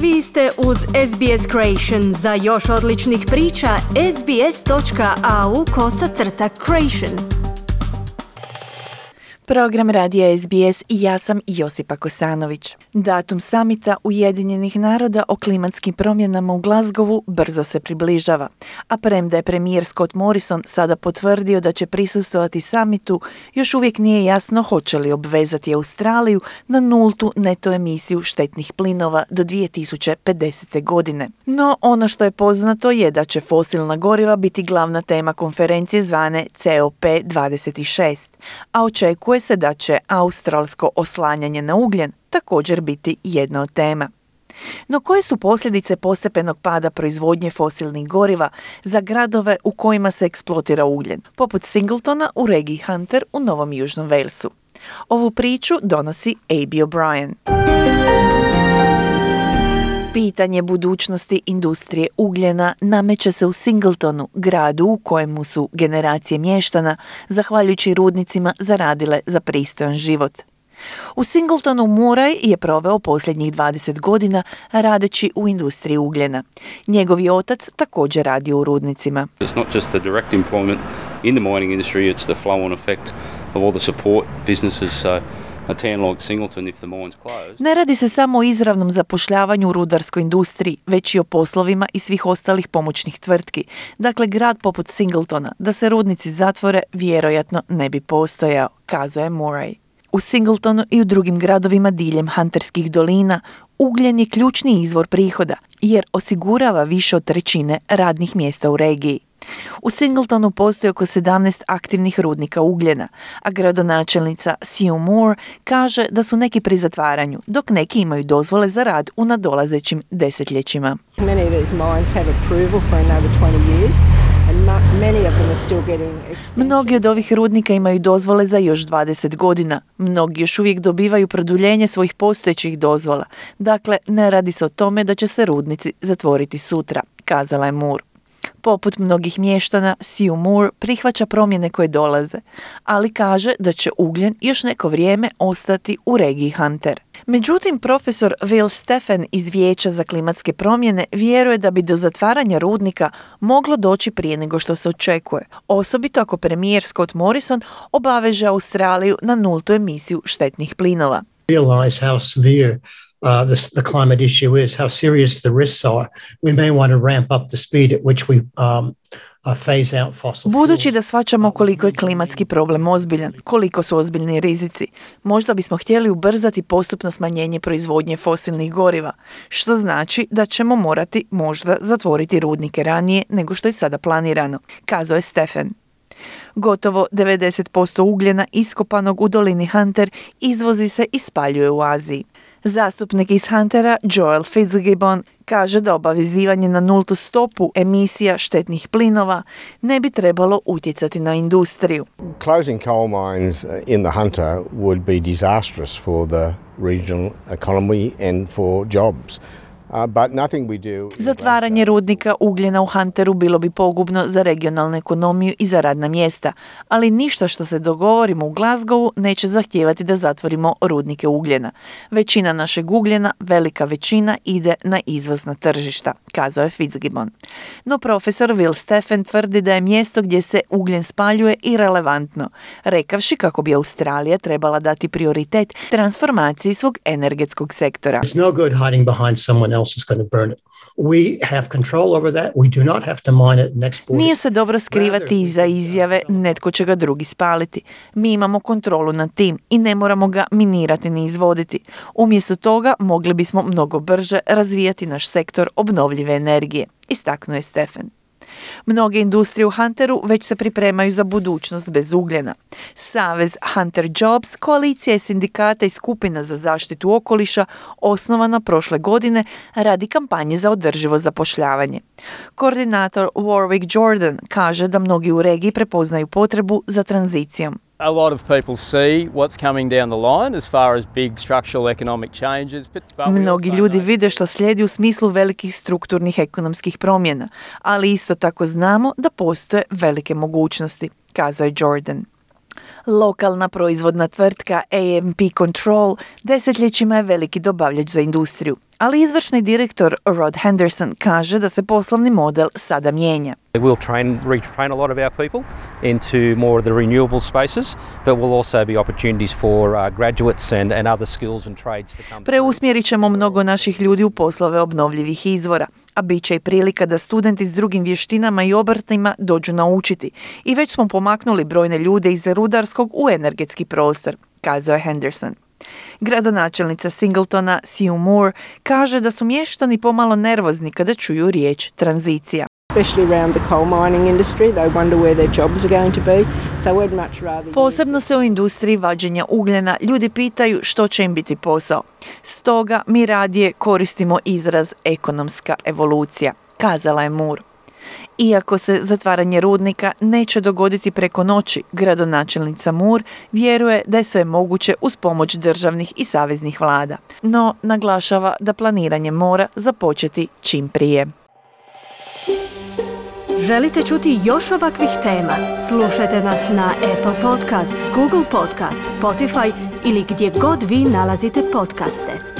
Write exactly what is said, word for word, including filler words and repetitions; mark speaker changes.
Speaker 1: Vi ste uz S B S Creation. Za još odličnih priča, sbs.au kosacrta creation.
Speaker 2: Program radija S B S i ja sam Josipa Kosanović. Datum samita Ujedinjenih naroda o klimatskim promjenama u Glasgowu brzo se približava, a premda je premijer Scott Morrison sada potvrdio da će prisustvovati samitu, još uvijek nije jasno hoće li obvezati Australiju na nultu neto emisiju štetnih plinova do dvije tisuće pedesete. godine. No, ono što je poznato je da će fosilna goriva biti glavna tema konferencije zvane C O P dvadeset šest, a očekuje se da će australsko oslanjanje na ugljen također biti jedna od tema. No koje su posljedice postepenog pada proizvodnje fosilnih goriva za gradove u kojima se eksploatira ugljen, poput Singletona u regiji Hunter u Novom Južnom Walesu? Ovu priču donosi Abby O'Brien. Pitanje budućnosti industrije ugljena nameće se u Singletonu, gradu u kojemu su generacije mještana, zahvaljujući rudnicima, zaradile za pristojan život. U Singletonu Murray je proveo posljednjih dvadeset godina radeći u industriji ugljena. Njegovi otac također radi u rudnicima.
Speaker 3: It's not just the direct employment in the mining industry, it's the flow-on effect of all the support businesses. So
Speaker 2: Ne radi se samo o izravnom zapošljavanju u rudarskoj industriji, već i o poslovima i svih ostalih pomoćnih tvrtki. Dakle, grad poput Singletona, da se rudnici zatvore, vjerojatno ne bi postojao, kazao je Murray. U Singletonu i u drugim gradovima diljem Hunterskih dolina ugljen je ključni izvor prihoda, jer osigurava više od trećine radnih mjesta u regiji. U Singletonu postoji oko sedamnaest aktivnih rudnika ugljena, a gradonačelnica Sue Moore kaže da su neki pri zatvaranju, dok neki imaju dozvole za rad u nadolazećim desetljećima. Mnogi od ovih rudnika imaju dozvole za još dvadeset godina. Mnogi još uvijek dobivaju produljenje svojih postojećih dozvola. Dakle, ne radi se o tome da će se rudnici zatvoriti sutra, kazala je Moore. Poput mnogih mještana, Sue Moore prihvaća promjene koje dolaze, ali kaže da će ugljen još neko vrijeme ostati u regiji Hunter. Međutim, profesor Will Stephen iz Vijeća za klimatske promjene vjeruje da bi do zatvaranja rudnika moglo doći prije nego što se očekuje, osobito ako premijer Scott Morrison obaveže Australiju na nultu emisiju štetnih plinova.
Speaker 4: Realize how severe Uh, the, the climate issue is, how serious the risks are. We may want to ramp up the speed at which we um, uh, phase out fossil fuels.
Speaker 2: Budući da shvaćamo koliko je klimatski problem ozbiljan, koliko su ozbiljni rizici, možda bismo htjeli ubrzati postupno smanjenje proizvodnje fosilnih goriva, što znači da ćemo morati možda zatvoriti rudnike ranije nego što je sada planirano, kazao je Stephen. Gotovo devedeset posto ugljena iskopanog u dolini Hunter izvozi se i spaljuje u Aziji. Zastupnik iz Huntera, Joel Fitzgibbon, kaže da obavezivanje na nultu stopu emisija štetnih plinova ne bi trebalo utjecati na industriju.
Speaker 5: Closing coal mines in the Hunter would be disastrous for the regional economy and for jobs. Uh, but nothing we do...
Speaker 2: Zatvaranje rudnika ugljena u Hunteru bilo bi pogubno za regionalnu ekonomiju i za radna mjesta, ali ništa što se dogovorimo u Glasgowu neće zahtijevati da zatvorimo rudnike ugljena. Većina našeg ugljena, velika većina, ide na izvozna tržišta, kazao je Fitzgibbon. No profesor Will Stephen tvrdi da je mjesto gdje se ugljen spaljuje irelevantno, rekavši kako bi Australija trebala dati prioritet transformaciji svog energetskog sektora.
Speaker 4: It's no good hiding behind someone else is going to burn it. We have control over that. We do not have to mine it and export it.
Speaker 2: Nije se dobro skrivati iza izjave netko će ga drugi spaliti. Mi imamo kontrolu nad tim i ne moramo ga minirati ni izvoditi. Umjesto toga mogli bismo mnogo brže razvijati naš sektor obnovljive energije, istaknuo je Stephen. Mnoge industrije u Hunteru već se pripremaju za budućnost bez ugljena. Savez Hunter Jobs, koalicija sindikata i skupina za zaštitu okoliša, osnovana prošle godine, radi kampanje za održivo zapošljavanje. Koordinator Warwick Jordan kaže da mnogi u regiji prepoznaju potrebu za tranzicijom.
Speaker 6: A lot of people see what's coming down the line as far as big structural economic changes. But, but
Speaker 2: Mnogi ljudi vide što slijedi u smislu velikih strukturnih ekonomskih promjena, ali isto tako znamo da postoje velike mogućnosti, kazao je Jordan. Lokalna proizvodna tvrtka A M P Control desetljećima je veliki dobavljač za industriju, ali izvršni direktor Rod Henderson kaže da se poslovni model sada mijenja.
Speaker 7: We'll train, retrain a lot of our people into more of the renewable spaces, but will also be opportunities for uh, graduates and, and other skills and trades to come.
Speaker 2: Preusmjerit ćemo mnogo naših ljudi u poslove obnovljivih izvora, a bit će i prilika da studenti s drugim vještinama i obrtima dođu naučiti. I već smo pomaknuli brojne ljude iz rudarskog u energetski prostor, kazao je Henderson. Gradonačelnica Singletona Sue Moore kaže da su mještani pomalo nervozni kada čuju riječ tranzicija. Posebno se u industriji vađenja ugljena ljudi pitaju što će im biti posao. Stoga mi radije koristimo izraz ekonomska evolucija, kazala je Moore. Iako se zatvaranje rudnika neće dogoditi preko noći, gradonačelnica Moore vjeruje da je sve moguće uz pomoć državnih i saveznih vlada, no naglašava da planiranje mora započeti čim prije.
Speaker 1: Želite čuti još ovakvih tema? Slušajte nas na Apple Podcast, Google Podcast, Spotify ili gdje god vi nalazite podcaste.